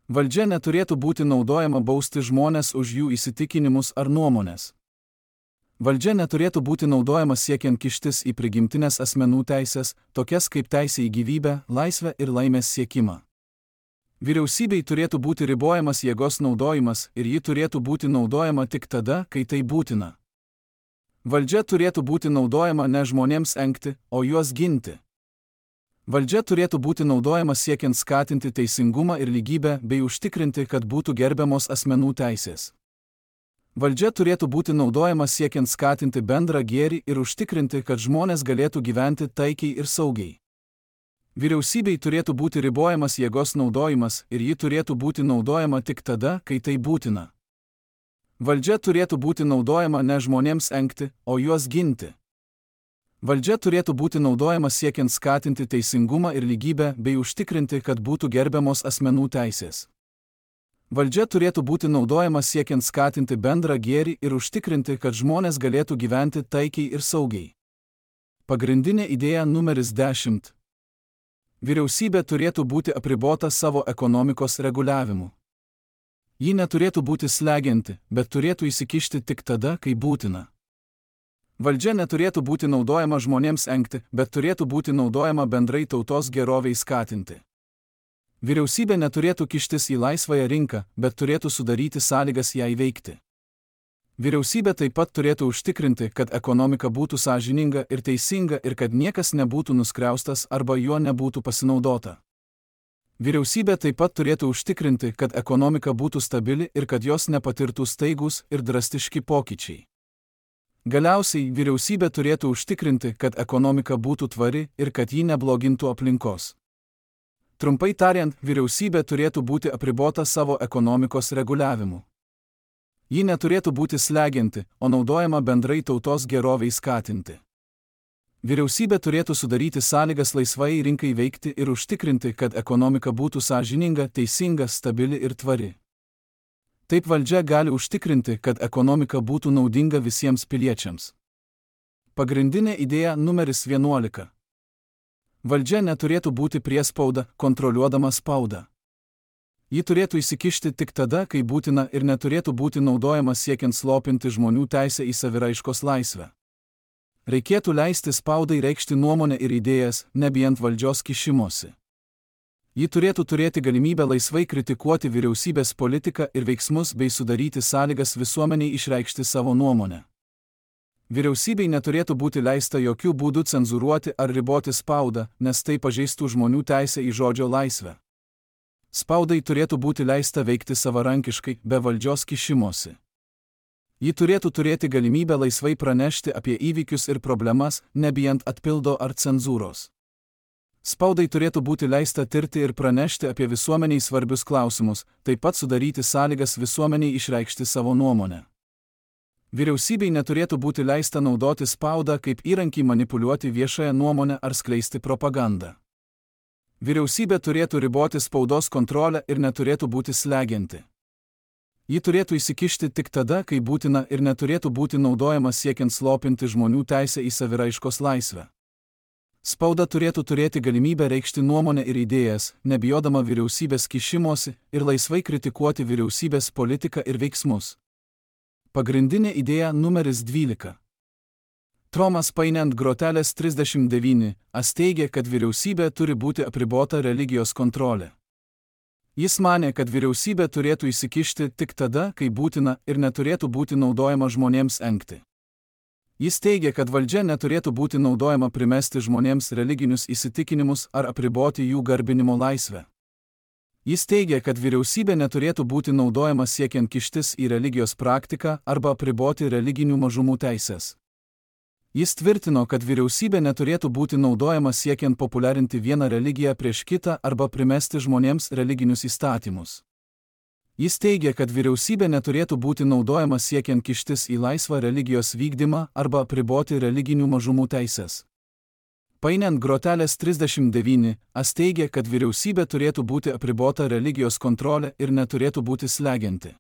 Valdžia neturėtų būti naudojama bausti žmonės už jų įsitikinimus ar nuomonės. Valdžia neturėtų būti naudojama siekiant kištis į prigimtinės asmenų teisės, tokias kaip teisė į gyvybę, laisvę ir laimės siekimą. Vyriausybei turėtų būti ribojamas jėgos naudojimas ir ji turėtų būti naudojama tik tada, kai tai būtina. Valdžia turėtų būti naudojama ne žmonėms engti, o juos ginti. Valdžia turėtų būti naudojama siekiant skatinti teisingumą ir lygybę bei užtikrinti, kad būtų gerbiamos asmenų teisės. Valdžia turėtų būti naudojama siekiant skatinti bendrą gėrį ir užtikrinti, kad žmonės galėtų gyventi taikiai ir saugiai. Vyriausybei turėtų būti ribojamas jėgos naudojimas ir ji turėtų būti naudojama tik tada, kai tai būtina. Valdžia turėtų būti naudojama ne žmonėms engti, o juos ginti. Valdžia turėtų būti naudojama siekiant skatinti teisingumą ir lygybę bei užtikrinti, kad būtų gerbiamos asmenų teisės. Valdžia turėtų būti naudojama siekiant skatinti bendrą gėrį ir užtikrinti, kad žmonės galėtų gyventi taikiai ir saugiai. Pagrindinė idėja numeris dešimt. Vyriausybė turėtų būti apribota savo ekonomikos reguliavimu. Ji neturėtų būti slegianti, bet turėtų įsikišti tik tada, kai būtina. Valdžia neturėtų būti naudojama žmonėms engti, bet turėtų būti naudojama bendrai tautos geroviai skatinti. Vyriausybė neturėtų kištis į laisvąją rinką, bet turėtų sudaryti sąlygas jai veikti. Vyriausybė taip pat turėtų užtikrinti, kad ekonomika būtų sąžininga ir teisinga ir kad niekas nebūtų nuskriaustas arba juo nebūtų pasinaudota. Vyriausybė taip pat turėtų užtikrinti, kad ekonomika būtų stabili ir kad jos nepatirtų staigūs ir drastiški pokyčiai. Galiausiai vyriausybė turėtų užtikrinti, kad ekonomika būtų tvari ir kad ji neblogintų aplinkos. Trumpai tariant, vyriausybė turėtų būti apribota savo ekonomikos reguliavimu. Ji neturėtų būti slegianti, o naudojama bendrai tautos geroviai skatinti. Vyriausybė turėtų sudaryti sąlygas laisvai rinkai veikti ir užtikrinti, kad ekonomika būtų sąžininga, teisinga, stabili ir tvari. Taip valdžia gali užtikrinti, kad ekonomika būtų naudinga visiems piliečiams. Pagrindinė idėja numeris vienuolika. Valdžia neturėtų būti priespauda, kontroliuodama spaudą. Ji turėtų įsikišti tik tada, kai būtina ir neturėtų būti naudojama siekiant slopinti žmonių teisę į saviraiškos laisvę. Reikėtų leisti spaudai reikšti nuomonę ir idėjas, nebijant valdžios kišimosi. Ji turėtų turėti galimybę laisvai kritikuoti vyriausybės politiką ir veiksmus bei sudaryti sąlygas visuomeniai išreikšti savo nuomonę. Vyriausybei neturėtų būti leista jokių būdų cenzūruoti ar riboti spaudą, nes tai pažeistų žmonių teisę į žodžio laisvę. Spaudai turėtų būti leista veikti savarankiškai, be valdžios kišimosi. Ji turėtų turėti galimybę laisvai pranešti apie įvykius ir problemas, nebijant atpildo ar cenzūros. Spaudai turėtų būti leista tirti ir pranešti apie visuomeniai svarbius klausimus, taip pat sudaryti sąlygas visuomeniai išreikšti savo nuomonę. Vyriausybei neturėtų būti leista naudoti spaudą kaip įrankį manipuliuoti viešąją nuomonę ar skleisti propagandą. Vyriausybė turėtų riboti spaudos kontrolę ir neturėtų būti slegianti. Ji turėtų įsikišti tik tada, kai būtina ir neturėtų būti naudojama siekiant slopinti žmonių teisę į saviraiškos laisvę. Spauda turėtų turėti galimybę reikšti nuomonę ir idėjas, nebijodama vyriausybės kišimosi ir laisvai kritikuoti vyriausybės politiką ir veiksmus. Pagrindinė idėja numeris dvylika. Tomas Paine ant grotelės trisdešimt devyni as teigė, kad vyriausybė turi būti apribota religijos kontrolė. Jis manė, kad vyriausybė turėtų įsikišti tik tada, kai būtina ir neturėtų būti naudojama žmonėms engti. Jis teigė, kad valdžia neturėtų būti naudojama primesti žmonėms religinius įsitikinimus ar apriboti jų garbinimo laisvę. Jis teigė, kad vyriausybė neturėtų būti naudojama siekiant kištis į religijos praktiką arba apriboti religinių mažumų teisės. Jis tvirtino, kad vyriausybė neturėtų būti naudojama siekiant populiarinti vieną religiją prieš kitą arba primesti žmonėms religinius įstatymus. Jis teigė, kad vyriausybė neturėtų būti naudojama siekiant kištis į laisvą religijos vykdymą arba apriboti religinių mažumų teisės. Paine ant grotelės trisdešimt devyni as teigė, kad vyriausybė turėtų būti apribota religijos kontrolė ir neturėtų būti slegianti.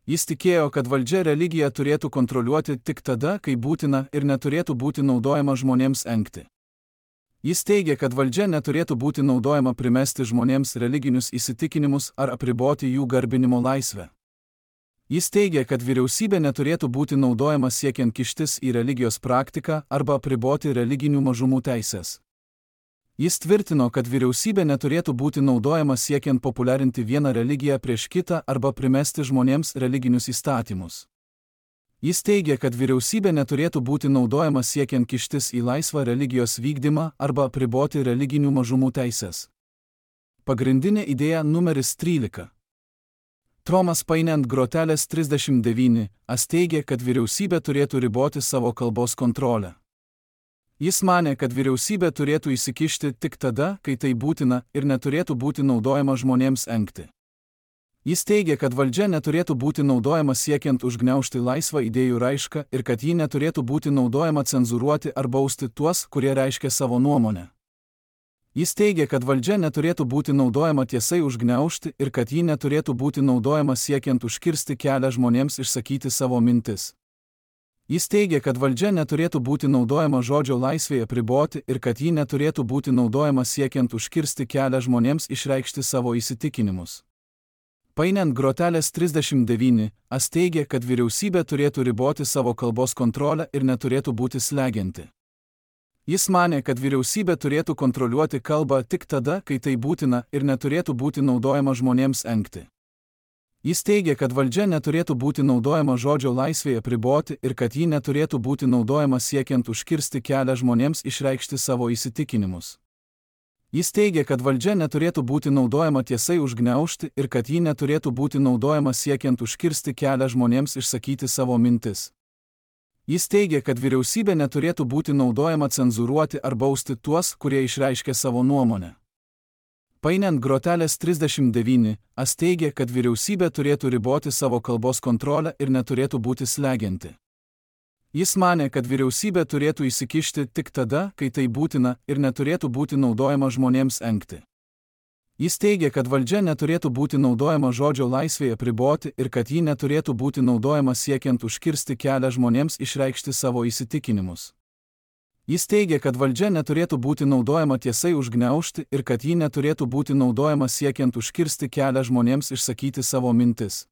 Jis tikėjo, kad valdžia religiją turėtų kontroliuoti tik tada, kai būtina ir neturėtų būti naudojama žmonėms engti. Jis teigė, kad valdžia neturėtų būti naudojama primesti žmonėms religinius įsitikinimus ar apriboti jų garbinimo laisvę. Jis teigė, kad vyriausybė neturėtų būti naudojama siekiant kištis į religijos praktiką arba apriboti religinių mažumų teisės. Jis tvirtino, kad vyriausybė neturėtų būti naudojama siekiant populiarinti vieną religiją prieš kitą arba primesti žmonėms religinius įstatymus. Jis teigė, kad vyriausybė neturėtų būti naudojama siekiant kištis į laisvą religijos vykdymą arba apriboti religinių mažumų teisės. Pagrindinė idėja numeris trylika. Tomas Paine ant grotelės trisdešimt devyni as teigė, kad vyriausybė turėtų riboti savo kalbos kontrolę. Jis manė, kad vyriausybė turėtų įsikišti tik tada, kai tai būtina ir neturėtų būti naudojama žmonėms engti. Jis teigia, kad valdžia neturėtų būti naudojama siekiant užgniaužti laisvą idėjų raišką ir kad ji neturėtų būti naudojama cenzūruoti ar bausti tuos, kurie reiškia savo nuomonę. Jis teigia, kad valdžia neturėtų būti naudojama tiesai užgniaužti ir kad ji neturėtų būti naudojama siekiant užkirsti kelią žmonėms išsakyti savo mintis. Jis teigia, kad valdžia neturėtų būti naudojama žodžio laisvėje apriboti ir kad ji neturėtų būti naudojama siekiant užkirsti kelią žmonėms išreikšti savo įsitikinimus. Painiant grotelės trisdešimt devyni, as teigia, kad vyriausybė turėtų riboti savo kalbos kontrolę ir neturėtų būti slegianti. Jis manė, kad vyriausybė turėtų kontroliuoti kalbą tik tada, kai tai būtina ir neturėtų būti naudojama žmonėms engti. Jis teigia, kad valdžia neturėtų būti naudojama žodžio laisvėje apriboti ir kad ji neturėtų būti naudojama siekiant užkirsti kelią žmonėms išreikšti savo įsitikinimus. Jis teigia, kad valdžia neturėtų būti naudojama tiesai užgniaužti ir kad ji neturėtų būti naudojama siekiant užkirsti kelią žmonėms išsakyti savo mintis. Jis teigia, kad vyriausybė neturėtų būti naudojama cenzūruoti ar bausti tuos, kurie išreiškia savo nuomonę. Painiant grotelės trisdešimt devyni, as teigia, kad vyriausybė turėtų riboti savo kalbos kontrolę ir neturėtų būti slegianti. Jis manė, kad vyriausybė turėtų įsikišti tik tada, kai tai būtina ir neturėtų būti naudojama žmonėms engti. Jis teigia, kad valdžia neturėtų būti naudojama žodžio laisvėje apriboti ir kad ji neturėtų būti naudojama siekiant užkirsti kelią žmonėms išreikšti savo įsitikinimus. Jis teigia, kad valdžia neturėtų būti naudojama tiesai užgniaužti ir kad ji neturėtų būti naudojama siekiant užkirsti kelią žmonėms išsakyti savo mintis.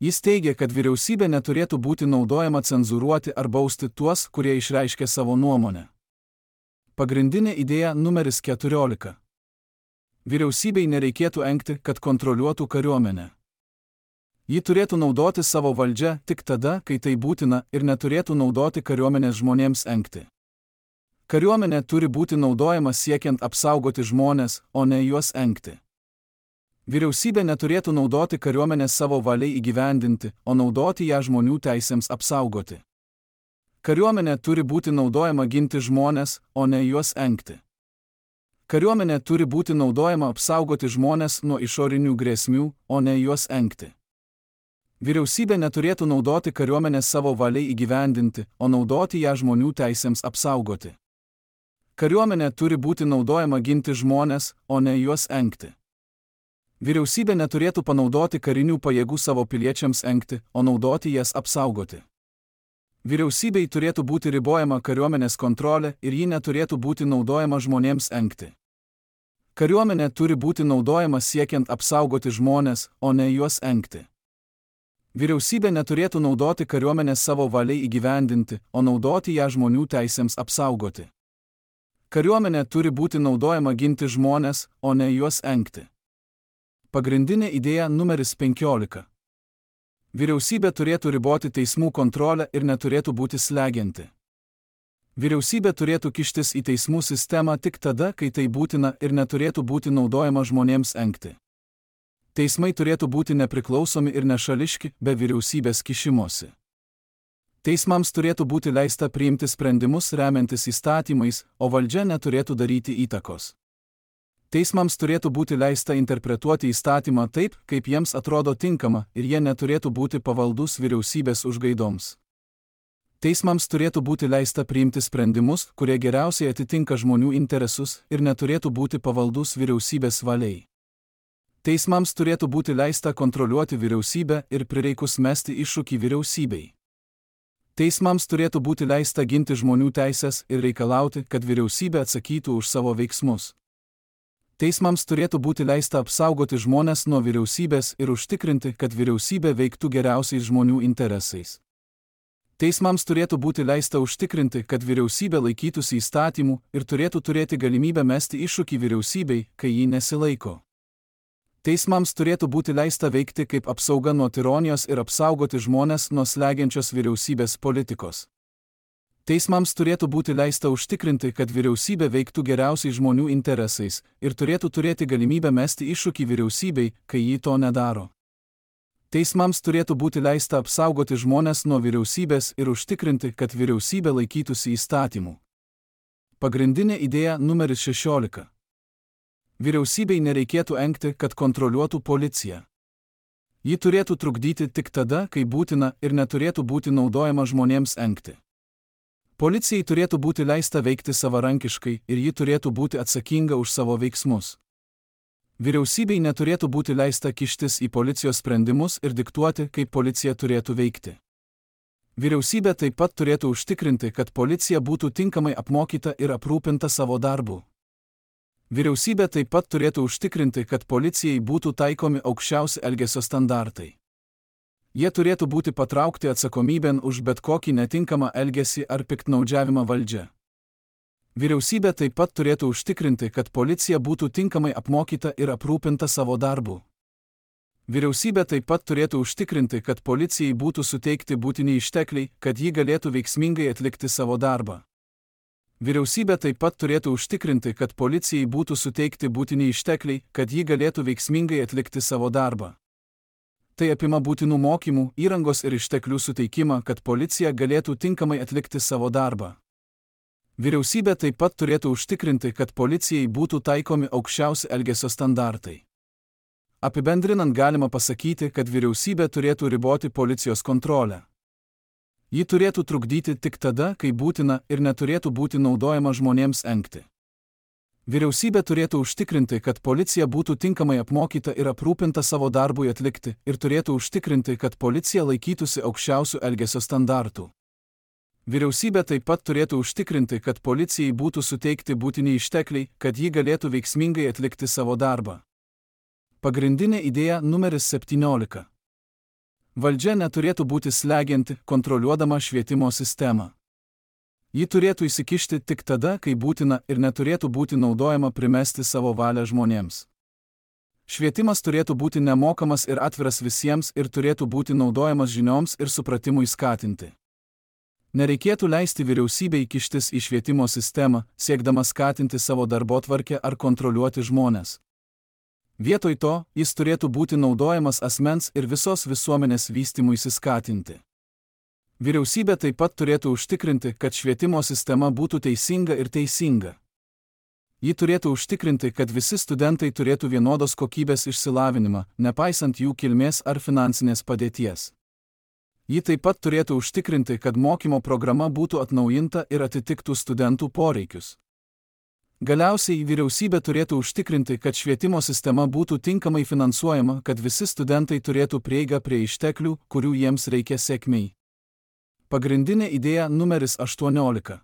Jis teigia, kad vyriausybė neturėtų būti naudojama cenzūruoti ar bausti tuos, kurie išreiškia savo nuomonę. Pagrindinė idėja numeris keturiolika. Vyriausybei nereikėtų engti, kad kontroliuotų kariuomenę. Ji turėtų naudoti savo valdžią tik tada, kai tai būtina ir neturėtų naudoti kariuomenės žmonėms engti. Kariuomenė turi būti naudojama siekiant apsaugoti žmones, o ne juos engti. Vyriausybė neturėtų naudoti kariuomenę savo valiai įgyvendinti, o naudoti ją žmonių teisėms apsaugoti. Kariuomenė turi būti naudojama ginti žmones, o ne juos engti. Kariuomenė turi būti naudojama apsaugoti žmones nuo išorinių grėsmių, o ne juos engti. Vyriausybė neturėtų naudoti kariuomenę savo valiai įgyvendinti, o naudoti ją žmonių teisėms apsaugoti. Kariuomenė turi būti naudojama ginti žmones, o ne juos engti. Vyriausybė neturėtų panaudoti karinių pajėgų savo piliečiams engti, o naudoti jas apsaugoti. Vyriausybei turėtų būti ribojama kariuomenės kontrolė ir ji neturėtų būti naudojama žmonėms engti. Kariuomenė turi būti naudojama siekiant apsaugoti žmones, o ne juos engti. Vyriausybė neturėtų naudoti kariuomenės savo valiai įgyvendinti, o naudoti ją žmonių teisėms apsaugoti. Kariuomenė turi būti naudojama ginti žmones, o ne juos engti. Pagrindinė idėja numeris penkiolika. Vyriausybė turėtų riboti teismų kontrolę ir neturėtų būti slegianti. Vyriausybė turėtų kištis į teismų sistemą tik tada, kai tai būtina ir neturėtų būti naudojama žmonėms engti. Teismai turėtų būti nepriklausomi ir nešališki, be vyriausybės kišimosi. Teismams turėtų būti leista priimti sprendimus remiantis įstatymais, o valdžia neturėtų daryti įtakos. Teismams turėtų būti leista interpretuoti įstatymą taip, kaip jiems atrodo tinkama, ir jie neturėtų būti pavaldus vyriausybės užgaidoms. Teismams turėtų būti leista priimti sprendimus, kurie geriausiai atitinka žmonių interesus ir neturėtų būti pavaldus vyriausybės valiai. Teismams turėtų būti leista kontroliuoti vyriausybę ir prireikus mesti iššūkį vyriausybei. Teismams turėtų būti leista ginti žmonių teisės ir reikalauti, kad vyriausybė atsakytų už savo veiksmus. Teismams turėtų būti leista apsaugoti žmones nuo vyriausybės ir užtikrinti, kad vyriausybė veiktų geriausiais žmonių interesais. Teismams turėtų būti leista užtikrinti, kad vyriausybė laikytųsi įstatymų ir turėtų turėti galimybę mesti iššūkį vyriausybei, kai ji nesilaiko. Teismams turėtų būti leista veikti kaip apsauga nuo tironijos ir apsaugoti žmones nuo slegiančios vyriausybės politikos. Teismams turėtų būti leista užtikrinti, kad vyriausybė veiktų geriausiai žmonių interesais ir turėtų turėti galimybę mesti iššūkį vyriausybei, kai ji to nedaro. Teismams turėtų būti leista apsaugoti žmones nuo vyriausybės ir užtikrinti, kad vyriausybė laikytųsi įstatymų. Pagrindinė idėja numeris šešiolika. Vyriausybei nereikėtų engti, kad kontroliuotų policiją. Ji turėtų trukdyti tik tada, kai būtina ir neturėtų būti naudojama žmonėms engti. Policijai turėtų būti leista veikti savarankiškai ir ji turėtų būti atsakinga už savo veiksmus. Vyriausybei neturėtų būti leista kištis į policijos sprendimus ir diktuoti, kaip policija turėtų veikti. Vyriausybė taip pat turėtų užtikrinti, kad policija būtų tinkamai apmokyta ir aprūpinta savo darbu. Vyriausybė taip pat turėtų užtikrinti, kad policijai būtų taikomi aukščiausi elgesio standartai. Jie turėtų būti patraukti atsakomybėn už bet kokį netinkamą elgesį ar piktnaudžiavimą valdžia. Vyriausybė taip pat turėtų užtikrinti, kad policija būtų tinkamai apmokyta ir aprūpinta savo darbu. Vyriausybė taip pat turėtų užtikrinti, kad policijai būtų suteikti būtini ištekliai, kad ji galėtų veiksmingai atlikti savo darbą. Vyriausybė taip pat turėtų užtikrinti, kad policijai būtų suteikti būtini ištekliai, kad ji galėtų veiksmingai atlikti savo darbą. Tai apima būtinų mokymų, įrangos ir išteklių suteikimą, kad policija galėtų tinkamai atlikti savo darbą. Vyriausybė taip pat turėtų užtikrinti, kad policijai būtų taikomi aukščiausi elgesio standartai. Apibendrinant galima pasakyti, kad vyriausybė turėtų riboti policijos kontrolę. Ji turėtų trukdyti tik tada, kai būtina ir neturėtų būti naudojama žmonėms engti. Vyriausybė turėtų užtikrinti, kad policija būtų tinkamai apmokyta ir aprūpinta savo darbui atlikti ir turėtų užtikrinti, kad policija laikytųsi aukščiausių elgesio standartų. Vyriausybė taip pat turėtų užtikrinti, kad policijai būtų suteikti būtini ištekliai, kad ji galėtų veiksmingai atlikti savo darbą. Pagrindinė idėja numeris septyniolika. Valdžia neturėtų būti slegianti, kontroliuodama švietimo sistemą. Ji turėtų įsikišti tik tada, kai būtina ir neturėtų būti naudojama primesti savo valią žmonėms. Švietimas turėtų būti nemokamas ir atviras visiems ir turėtų būti naudojamas žinioms ir supratimui skatinti. Nereikėtų leisti vyriausybei kištis į švietimo sistemą, siekdama skatinti savo darbotvarkę ar kontroliuoti žmones. Vietoj to, jis turėtų būti naudojamas asmens ir visos visuomenės vystymuisi skatinti. Vyriausybė taip pat turėtų užtikrinti, kad švietimo sistema būtų teisinga ir teisinga. Ji turėtų užtikrinti, kad visi studentai turėtų vienodos kokybės išsilavinimą, nepaisant jų kilmės ar finansinės padėties. Ji taip pat turėtų užtikrinti, kad mokymo programa būtų atnaujinta ir atitiktų studentų poreikius. Galiausiai vyriausybė turėtų užtikrinti, kad švietimo sistema būtų tinkamai finansuojama, kad visi studentai turėtų prieigą prie išteklių, kurių jiems reikia sėkmei. Pagrindinė idėja numeris aštuoniolika.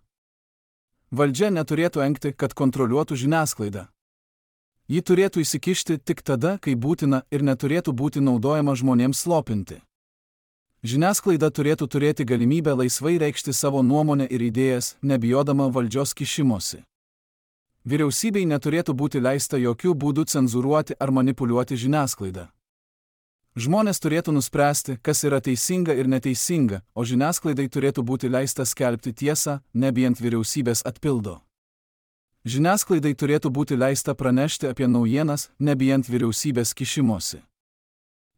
Valdžia neturėtų engti, kad kontroliuotų žiniasklaidą. Ji turėtų įsikišti tik tada, kai būtina ir neturėtų būti naudojama žmonėms slopinti. Žiniasklaida turėtų turėti galimybę laisvai reikšti savo nuomonę ir idėjas, nebijodama valdžios kišimosi. Vyriausybei neturėtų būti leista jokių būdų cenzūruoti ar manipuliuoti žiniasklaidą. Žmonės turėtų nuspręsti, kas yra teisinga ir neteisinga, o žiniasklaidai turėtų būti leista skelbti tiesą, nebijant vyriausybės atpildo. Žiniasklaidai turėtų būti leista pranešti apie naujienas, nebijant vyriausybės kišimosi.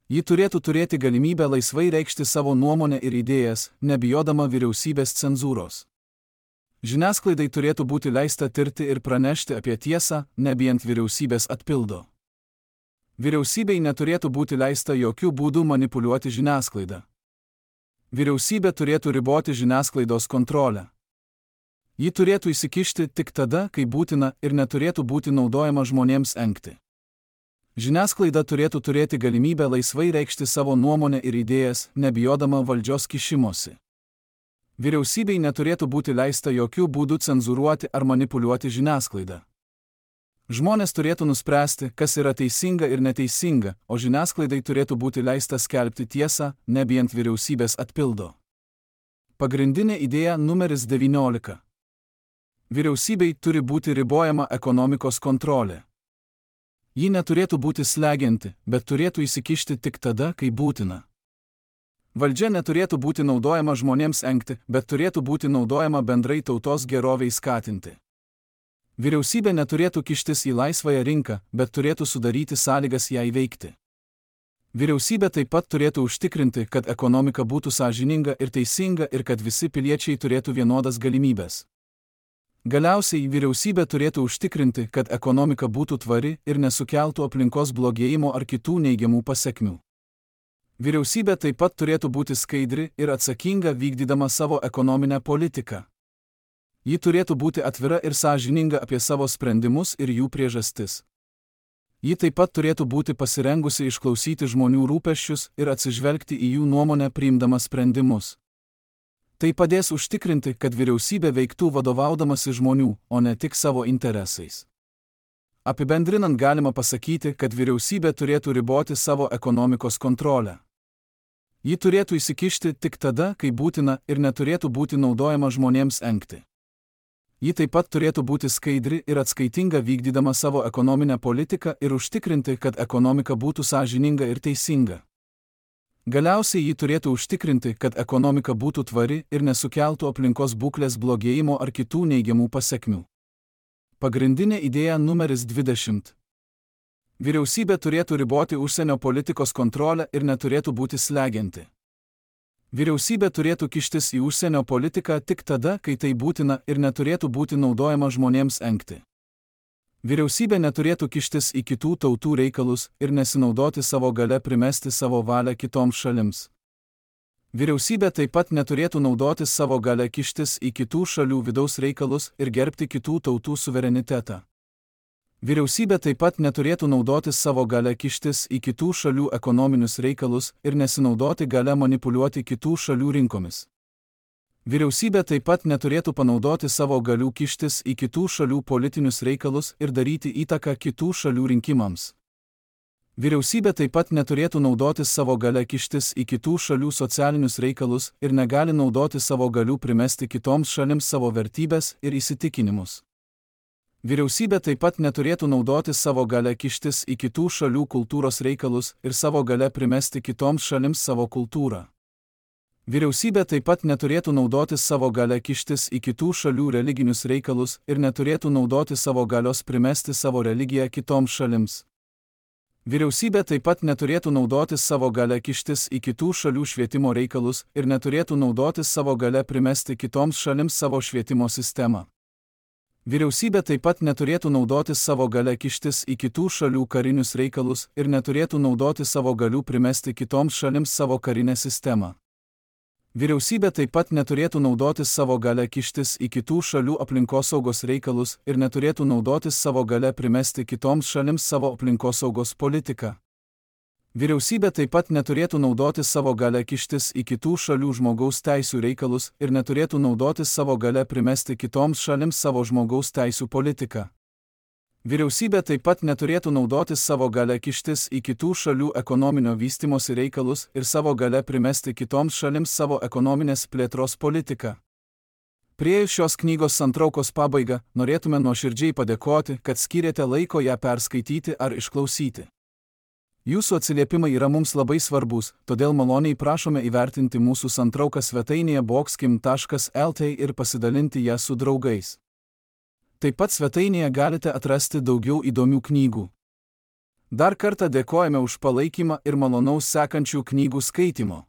Ji turėtų turėti galimybę laisvai reikšti savo nuomonę ir idėjas, nebijodama vyriausybės cenzūros. Žiniasklaidai turėtų būti leista tirti ir pranešti apie tiesą, nebijant vyriausybės atpildo. Vyriausybei neturėtų būti leista jokių būdų manipuliuoti žiniasklaidą. Vyriausybė turėtų riboti žiniasklaidos kontrolę. Ji turėtų įsikišti tik tada, kai būtina ir neturėtų būti naudojama žmonėms engti. Žiniasklaida turėtų turėti galimybę laisvai reikšti savo nuomonę ir idėjas, nebijodama valdžios kišimosi. Vyriausybei neturėtų būti leista jokių būdų cenzūruoti ar manipuliuoti žiniasklaidą. Žmonės turėtų nuspręsti, kas yra teisinga ir neteisinga, o žiniasklaidai turėtų būti leista skelbti tiesą, nebijant vyriausybės atpildo. Pagrindinė idėja numeris devyniolika. Vyriausybei turi būti ribojama ekonomikos kontrolė. Ji neturėtų būti slegianti, bet turėtų įsikišti tik tada, kai būtina. Valdžia neturėtų būti naudojama žmonėms engti, bet turėtų būti naudojama bendrai tautos geroviai skatinti. Vyriausybė neturėtų kištis į laisvąją rinką, bet turėtų sudaryti sąlygas ją veikti. Vyriausybė taip pat turėtų užtikrinti, kad ekonomika būtų sąžininga ir teisinga ir kad visi piliečiai turėtų vienodas galimybes. Galiausiai vyriausybė turėtų užtikrinti, kad ekonomika būtų tvari ir nesukeltų aplinkos blogėjimo ar kitų neigiamų pasekmių. Vyriausybė taip pat turėtų būti skaidri ir atsakinga vykdydama savo ekonominę politiką. Ji turėtų būti atvira ir sąžininga apie savo sprendimus ir jų priežastis. Ji taip pat turėtų būti pasirengusi išklausyti žmonių rūpesčius ir atsižvelgti į jų nuomonę priimdama sprendimus. Tai padės užtikrinti, kad vyriausybė veiktų vadovaudamasi žmonių, o ne tik savo interesais. Apibendrinant galima pasakyti, kad vyriausybė turėtų riboti savo ekonomikos kontrolę. Ji turėtų įsikišti tik tada, kai būtina, ir neturėtų būti naudojama žmonėms engti. Ji taip pat turėtų būti skaidri ir atskaitinga vykdydama savo ekonominę politiką ir užtikrinti, kad ekonomika būtų sąžininga ir teisinga. Galiausiai ji turėtų užtikrinti, kad ekonomika būtų tvari ir nesukeltų aplinkos būklės blogėjimo ar kitų neigiamų pasekmių. Pagrindinė idėja numeris dvidešimt. Vyriausybė turėtų riboti užsienio politikos kontrolę ir neturėtų būti slegianti. Vyriausybė turėtų kištis į užsienio politiką tik tada, kai tai būtina ir neturėtų būti naudojama žmonėms engti. Vyriausybė neturėtų kištis į kitų tautų reikalus ir nesinaudoti savo gale primesti savo valią kitoms šalims. Vyriausybė taip pat neturėtų naudotis savo gale kištis į kitų šalių vidaus reikalus ir gerbti kitų tautų suverenitetą. Vyriausybė taip pat neturėtų naudotis savo gale kištis į kitų šalių ekonominius reikalus ir nesinaudoti gale manipuliuoti kitų šalių rinkomis. Vyriausybė taip pat neturėtų panaudoti savo galių kištis į kitų šalių politinius reikalus ir daryti įtaką kitų šalių rinkimams. Vyriausybė taip pat neturėtų naudoti savo gale kištis į kitų šalių socialinius reikalus ir negali naudoti savo galių primesti kitoms šalims savo vertybės ir įsitikinimus. Vyriausybė taip pat neturėtų naudoti savo gale kištis į kitų šalių kultūros reikalus ir savo gale primesti kitoms šalims savo kultūrą. Vyriausybė taip pat neturėtų naudoti savo gale kištis į kitų šalių religinius reikalus ir neturėtų naudoti savo galios primesti savo religiją kitoms šalims. Vyriausybė taip pat neturėtų naudoti savo gale kištis į kitų šalių švietimo reikalus ir neturėtų naudoti savo gale primesti kitoms šalims savo švietimo sistemą. Vyriausybė taip pat neturėtų naudoti savo gale kištis į kitų šalių karinius reikalus ir neturėtų naudoti savo galių primesti kitoms šalims savo karinę sistemą. Vyriausybė taip pat neturėtų naudoti savo gale kištis į kitų šalių aplinkosaugos reikalus ir neturėtų naudoti savo gale primesti kitoms šalims savo aplinkosaugos politiką. Vyriausybė taip pat neturėtų naudoti savo gale kištis į kitų šalių žmogaus teisių reikalus ir neturėtų naudoti savo gale primesti kitoms šalims savo žmogaus teisių politiką. Vyriausybė taip pat neturėtų naudoti savo gale kištis į kitų šalių ekonominio vystymosi reikalus ir savo gale primesti kitoms šalims savo ekonominės plėtros politiką. Priėjus šios knygos santraukos pabaigą, norėtume nuoširdžiai padėkoti, kad skyrėte laiko ją perskaityti ar išklausyti. Jūsų atsiliepimai yra mums labai svarbus, todėl maloniai prašome įvertinti mūsų santrauką svetainėje boxkim taškas el t ir pasidalinti ją su draugais. Taip pat svetainėje galite atrasti daugiau įdomių knygų. Dar kartą dėkojame už palaikymą ir malonaus sekančių knygų skaitimo.